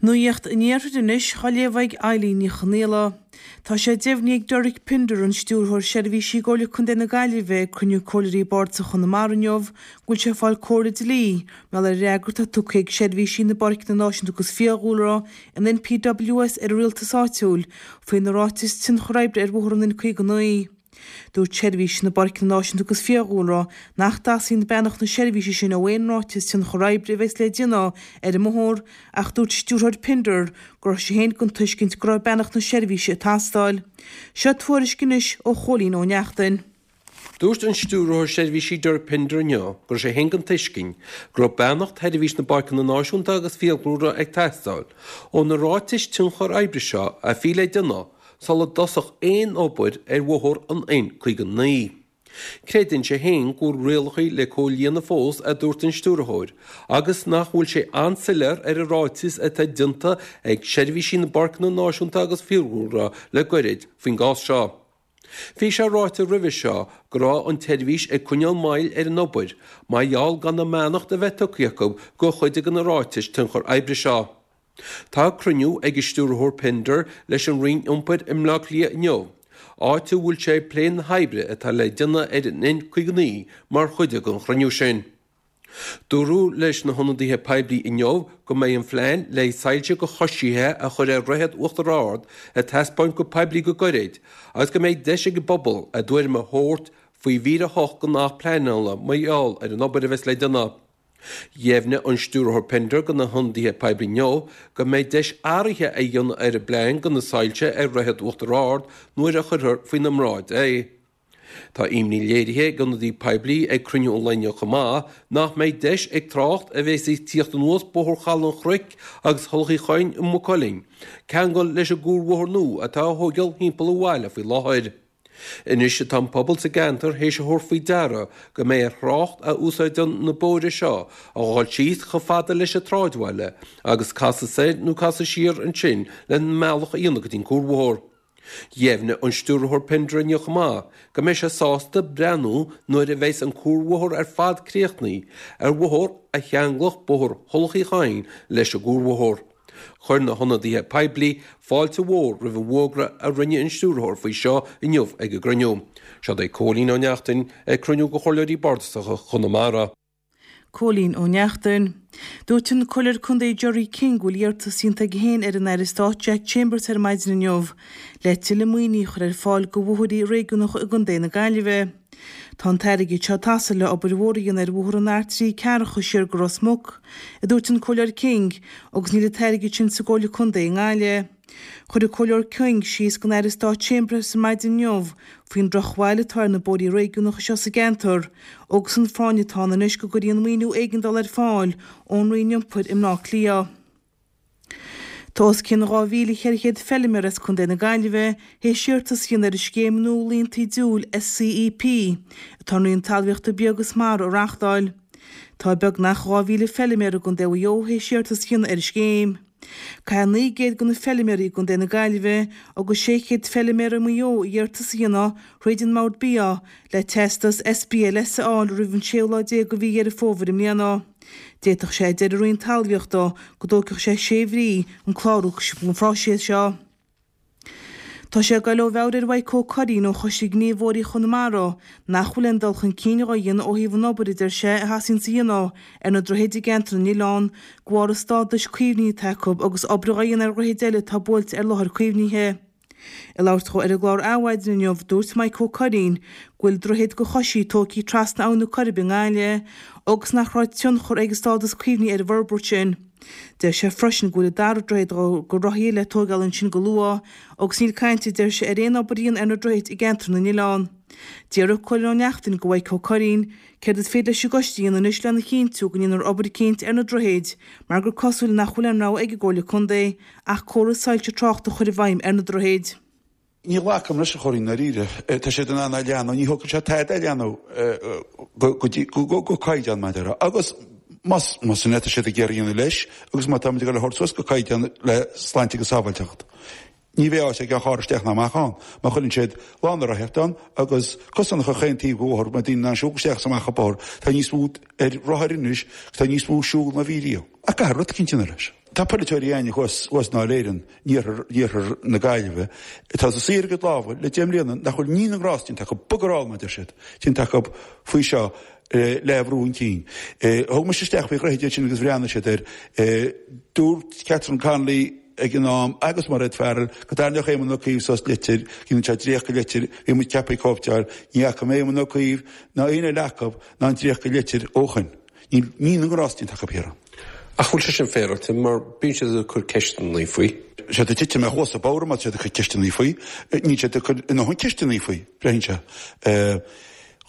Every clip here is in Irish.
Nuacht an Iarthair anois á léamh ag Eileen Ní Chonghaile. Tá sé deimhnithe ag Derek Pinder, an Stiúrthóir Seirbhísí i gComhairle Contae na Gaillimhe, ag cruinniú Comhairleoirí Bardasach Chonamara inniu go bhfuil sé ag fáil comhairle dlí mar gheall ar an fhreagra atá tugtha ag Seirbhísí na bPáirceanna Náisiúnta agus Fiadhúlra, an NPWS, ar an rialtas áitiúil faoi na ráitis tionchar oibre ar bhóthar an N59. Dúirt Seirbhís na bPáirceanna Náisiúnta agus Fiadhúlra nach dteastaíonn beannacht na seirbhíse sin ó aon ráiteas tionchar oibre a bheas le déanamh ar an mbóthar ach dúirt Stiúrthóir Pinder go raibh sé féin den tuiscint go raibh beannacht na seirbhíse ag teastáil. Seo tuairisc anois ó Chóilín Ó Neachtain. Dúirt an Stiúrthóir Seirbhísí Derek Pinder inniu go raibh sé féin den tuiscint go raibh beannacht Sheirbhís na bPáirceanna Náisiúnta agus Fiadhúlra ag teastáil ó na ráitis tionchar oibre seo a bhí le déanamh sula dtosódh aon obair ar bhóthar an N59. Creideann sé féin go bhfuil rialacha le comhlíonadh fós, a dúirt an stiúrthóir, agus nach bhfuil sé an-soiléir ar an ráiteas atá déanta ag Seirbhísí na bPáirceanna Náisiúnta agus Fiadhúlra le goirid faoin gcás seo. Bhí sé ráite roimhe seo go raibh an tseirbhís ag coinneáil moill ar an obair mar gheall gan a mbeannacht a bheith tugtha acu do chuid de na ráitis tionchar oibre seo. Tá cruinniú ag an Stiúrthóir Pinder leis an Roinn Iompair i mBleá Cliath inniu, áit a bhfuil sé ag plé na hoibre atá le déanamh ar an N59 mar chuid den chruinniú sin. Dúradh leis na hionadaithe poiblí inniu go mbeidh an phlean le soilse do choisithe a chur ar Dhroichead Uachtar Ard ar taispeáint go poiblí go gairid agus go mbeidh deis ag an bpobal a dtuairim a thabhairt faoi mhír 8 den Acht Pleanála mar gheall ar an obair a bheas le déanamh. Dheimhnigh an Stiúrthóir Pinder do na hionadaithe poiblí inniu go mbeidh deis athraithe a dhéanamh ar an bplean do na soilse ar Dhroichead Uachtar Ard nuair a chuirfear faoina mbráid é. Tá imní léirithe ag ionadaí poiblí ag cruinniú an lae inniu chomh maith nach mbeidh deis ag trácht a bheas ag tíocht anuas Bóthar Chaladh an Chnoic agus Thulach Uí Choinn i Maigh Cuilinn ceangal leis an gcuarbhóthar nua atá á thóigeáil thimpeall an bhaile faoi láthair. Anois atá an pobal sa gceantar théis a thabhairt faoi deara go mbeidh ar thrácht a úsáideann na bóithre seo a dhul síos chomh fada leis an tsráidbhaile agus casadh soir nó casadh siar ansin lena mbealach a dhéanamh go dtí an cuarbhóthar. Dheimhnigh an Stiúrthóir Pinder inniu chomh maith go mbeidh sé sásta breathnú nuair a bheas an cuarbhóthar ar fad críochnaithe ar bhóthar a cheanglódh Bóthar Thulach Uí Choinn leis an gcuarbhóthar. Chuir na hionadaithe poiblí fáilte mhór roimh an bhfógra a rinne an Stiúrthóir faoi seo inniu ag an gcruinniú. Seod é Cóilín Ó Neachtain ag cruinniú de Chomhairleoirí Bardasacha Chonamara. Cóilín Ó Neachtain. Dúirt an Comhairleoir Contae Gerry King go bhfuil iarratas déanta aige féin ar an Aire Stáit Jack Chambers ar maidin inniu le tuilleadh maoinithe a chur ar fáil do bhóithrí réigiúnacha i gContae na Gaillimhe. Tá an t-airgead seo ag teastáil le obair mhór a dhéanamh ar bhóthar an R3 Ceathracha siar go Ros Muc, a dúirt an Comhairleoir King, agus níl an t-airgead sin sa gComhairle Contae i nGaillimh. Chuir an Comhairleoir King síos don Aire Stáit Chambers ar maidin inniu faoin drochbhail atá ar na bóithrí réigiúnacha seo sa gceantar agus an phráinn atá ann anois go gcuirfí an maoiniú éigeandála ar fáil ón Roinn Iompair i mBleá Cliath. Tá os cionn 2,400 feilméara as Contae na Gaillimhe théis iarratas a dhéanamh ar an scéim nua Líontaí Diúil, SCEP, atá an Roinn Talmhaíochta Bia agus Mara a reáchtáil. Tá beagnach 2,000 feilméara i gContae Mhaigh Eo théis iarratas a dhéanamh ar an scéim. Caithfidh 900 de na feilméaraí i gContae na Gaillimhe agus 600 feilméara i Maigh Eo iarratas a dhéanamh thríd an mBord Bia le teastas SBLS a fháil roimh an séú lá déag de mhí Dheireadh Fómhair i mbliana. D'fhéadfadh sé, a deir an Roinn Talmhaíochta, go dtógfadh sé sé mhí an clárú an phróiseas seo. Tá sé ag dul ó mheabhair ar Mhaidhc Ó Curraoin ó Choiste Gníomhóirí Chonamara nach bhfuil aon dul chun cinn dhá dhéanamh ó thaobh an obair a deir sé a thosaíonns a dhéanamh ar na droichid i gceantar na n-oileán de bharr an stádais caomhnaithe atá acu agus obair dhá dhéanamh ar dhroichid eile atá buailte ar láthair caomhnaithe. Ag labhairt dhó ar an gclár Adhmhaidin inniu, dúirt Mike Ó Curraoin go bhfuil droichead do choisithe tógtha trasna Abhainn na Coiribe i nGaillimh agus nach raibh tionchar ag an stádas caomhnaithe ar an bhforbairt sin. Deir sé freisin go bhfuil an dara droichead do rothaithe le tóigeáil ansin go luath agus níl caint, a deir sé, ar aon obair a dhéanamh ar na droichid i gceantar na n-oileán. D'fhiafraigh Cóilín Ó Neachtain de Mhaidhc Ó Curraoin céard is féidir leis an gcoiste a dhéanamh anois lena chinntiú go ndéanfar obair eicínt ar na droichid mar gur cosúil nach bhfuil aon rogha ag an gComhairle Contae ach córas soilse tráchta a chur i bhfeidhm ar na droichid. Ní ghlacaim leis, a Chóilín, i ndáiríre. Tá siad in ann é a leathnú, ní thógfaidh sé tada é a leathnú go dtí, go caighdeán, mar a déarfá. Agus más, más sin é atá siad ag iarraidh a dhéanamh leis, agus má táimid ag dul a thabhairt suas go caighdeán le sláinte agus sábháilteacht, ní bheidh áit ag aon charr isteach ná amach ann. Má chuireann siad lána rothaíochta ann agus cosán chaon taobh den bhóthar, go mbeidh daoine in ann siúl isteach is amach an bóthar, tá níos mó ar rothair anois, tá níos mó siúl ná bhí riamh. Ach caithfear rud eicínt a dhéanamh leis. Tá polaiteoirí againne thuas i nDáil Éireann, in iarthar na Gaillimhe, atá ag suí ar a gcuid lámha le 10 mbliana nach bhfuil ní na ngrást déanta acu, bugger all mar a deir siad, déanta acu faoi seo le a bhrú chun cinn. Thug mise isteach faoi Dhroichead iad sin agus bhreathnaigh siad air. Dúirt Catherine Connolly ag an am agus Mairéad Farrell go dtarraingeodh Éamon Ó Cuív suas litir, go ndéanfadh sé dréacht de litir, bhí muid ceaptha cóipeáil, ní fhaca mé Éamon Ó Cuív ná aon eile acu ná an dréacht de litir ó shoin. Níl ní na ngrást déanta acu thiar ann. Ach bhfuil sé sin féaráilte mar bíonn siad ag cur ceisteanna faoi? Siad ag titim ar chluasa bodhar má tá siad ag cur ceisteanna faoi. Níl siad ag cur a ndóthain ceisteanna faoi, braitheann sé.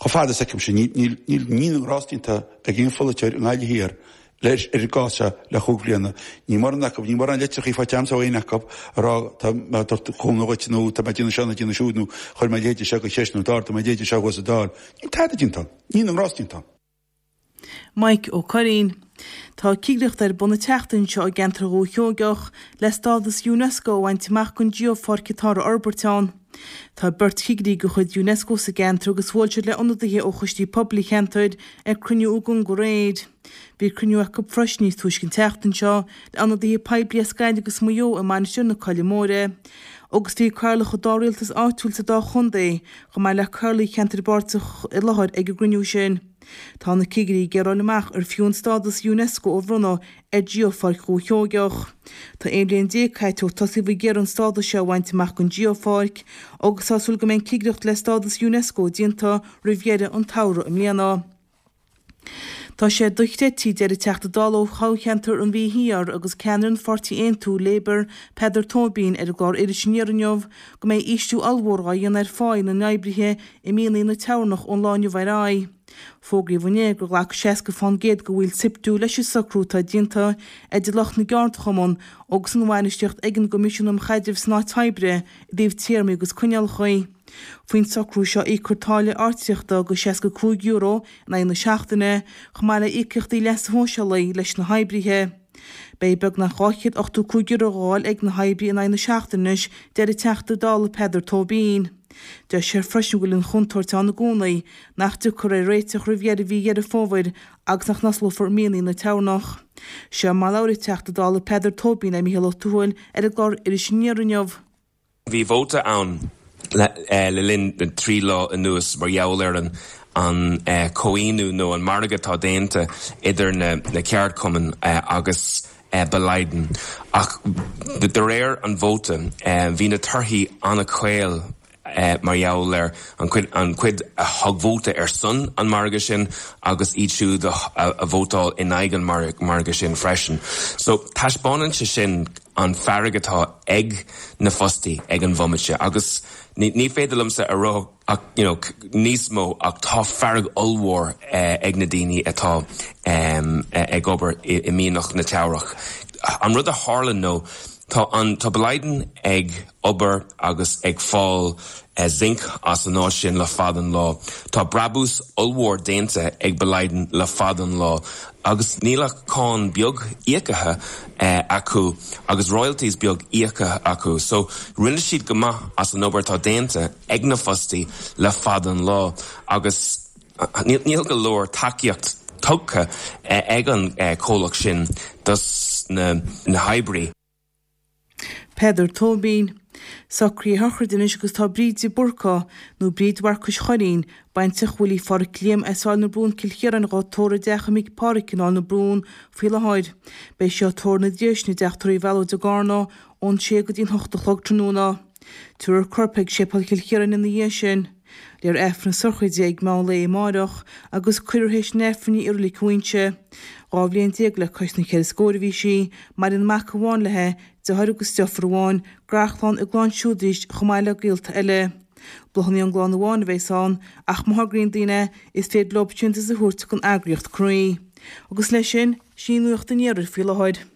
Chomh fada is a fheicimse, níl ní na ngrást déanta ag aon pholaiteoir i nGaillimh Thiar leis ar an gcás seo le chúig bhliana. Níl mórán acu, níl mórán litreacha faighte agamsa ó éinne acu ag rá tá mé ag tabhairt cúnamh dhuit nó tá mé ag déanamh seo nó ag déanamh siúd nó chuir mé a leithéide seo de cheist nó d'ardaigh mé a leithéide seo thuas sa Dáil. Níl tada déanta ann. Ní na ngrást déanta ann. Mike Ó Curraoin. Tá cigireacht ar bun an tseachtain seo i gceantar Dhúiche Sheoigeach le stádas Unesco a bhaint amach don geopháirc atá á fhorbairt ann. Tá beirt chigirí de chuid Unesco sa gceantar agus bhuail siad le ionadaithe ó choistí pobail an cheantair ag cruinniú i gConga aréir. Bhí cruinniú acu freisin níos túisce an tseachtain seo le ionadaithe poiblí as Gaillimh agus Maigh Eo i Mainistir na Coille Móire. Agus bhí cathaoirleach an dá rialtas áitiúil sa dá chontae chomh maith le cathaoirligh cheantair páirteach i láthair ag an gcruinniú sin. Tá na cigirí ag iarraidh a fháil amach ar fiú an stádas Unesco a bhronnadh ar Geopháirc Dhúiche Sheoigeach. Tá 11 bliain caite ó tosaíodh ag iarraidh an stádas seo a bhaint amach don Geopháirc agus tá súil go mbeidh an cigireacht le stádas Unesco déanta roimh dheireadh an tsamhraidh i mbliana. Tá sé dochreidte, a deir an Teachta Dála ó thoghcheantar an Mhí Thiar agus ceannaire an pháirtí Aontú, Labour, Peadar Tóibín, ar an gclár Iris Aniar inniu, go mbeidh ísliú ollmhór á dhéanamh ar pháí na n-oibrithe i mianaigh na Teamhrach ón lá inniu ar aghaidh. Fógraíodh inné gur ghlac 60% de bhaill SIPTU leis an socrú atá déanta idir lucht na gceardchumann agus an bhainistíocht ag an gCoimisiún um Chaidreamh san Áit Oibre i dtaobh téarmaí agus coinníollacha. Faoin socrú seo íocfar táille áitríochta de €65 in aghaidh na seachtaine chomh maith le íocaíochtaí leasa shóisialaigh leis na hoibrithe. Beidh beagnach €285 á fháil ag na hoibrithe in aghaidh na seachtaine anois, deir an Teachta Dála Peadar Tóibín. Deir sé freisin go bhfuil an chontúirt ann i gcónaí nach dtiocfar ar réiteach roimh dheireadh mhí Dheireadh Fómhair agus nach n-osclófar mianaigh na Teamhrach. Seo mar a labhair an Teachta Dála Peadar Tóibín le Mícheál Ó Tuathail ar an gclár Iris Aniar inniu. Bhí vóta ann le linn na dtrí lá anuas mar gheall ar an comhaontú nó an margadh atá déanta idir na ceardchumainn agus Boliden. Ach de réir an vóta, bhí na torthaí an-chaol. mar gheall ar an chuid an chuid a thug vóta ar son an margadh sin agus iad siúd a vótáil in aghaidh an margadh sin freisin. So taispeánann sé sin an fearg atá ag na fostaí ag an bhomaite agus ní féidir liomsa a rá ach you know níos mó ach tá fearg ollmhór ag na daoine atá ag obair i mianach na Teamhrach. An rud a tharla nó tá an tá Boliden ag obair agus ag fáil zinc as an áit sin le fada an lá. Tá brabús ollmhór déanta ag Boliden le fada an lá agus níl ach cáin beag íocaithe acu agus royalties beag íocaithe acu. So rinne siad go maith as an obair atá déanta ag na fostaí le fada an lá agus níl go leor tacaíocht tugtha ag an comhlacht sin dos na hoibrí. Peadar Tóibín. Socruithe sochraide anois agus tá Bríd de Búrca, nó Bríd Mharcais Churraoin, baintreach Willie Pháraic Liam as Áill na Brún Cill Chiaráin dhá tórramh i dteach a mic Páraic in Áill na Brún faoi láthair. Beidh sí á tórramh ina diaidh sin i dteach tórraimh Mhealóid i gCarna ón sé go dtí'n hocht a chlog tráthnóna. Tabharfar a corp chuig Séipéal Chill Chiaráin ina dhiaidh sin. Léifear Aifreann na sochraide ag meán lae amáireach agus cuirfear théis an Aifrinn í i Reilig na Inse. 12 bhliain le cois na cheithre scóir a bhí sí, maireann mac amháin léi, deartháir agus deirfiúr amháin, garchlann a gclann siúd arís chomh maith le gaolta eile. Bláthanna ón gclann amháin a bheas ann ach má thograíonn daoine, is féidir leo síntiús a thabhairt don eagraíocht Croí. Agus leis sin, sin í nuacht an iarthair faoi láthair.